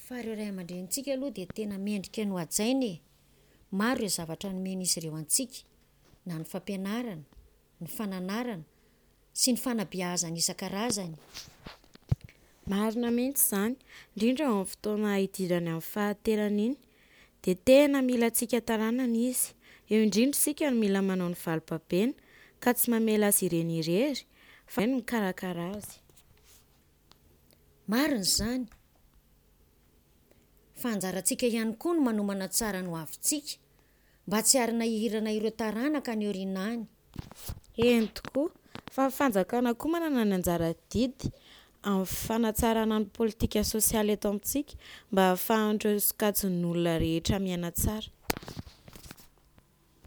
Fa ireo ray aman-drenintsika aloha dia tena mendrika ny ho hajaina e! Maro ireo zavatra nomen'izy ireo antsika, na ny fampianarana, ny fananarana sy ny fanabeazana isan-karazany. Marina mihitsy izany, indrindra eo amin'ny fotoana hidirany amin'ny fahanterana iny dia tena mila antsika taranany izy. Eo indrindra isika no mila manao ny valibabena ka tsy mamela azy ireny irery fa no mikarakara azy. Marina izany. Fa anjarantsika ihany koa no manomana tsara ny hoavintsika mba tsy harinahirana ireo taranaka any aoriana any. Eny tokoa, fa ny fanjakana koa manana ny anjara adidy amin'ny fanatsarana ny politika sosialy eto amintsika mba hahafahan'ireo sokajin'olona rehetra miaina tsara.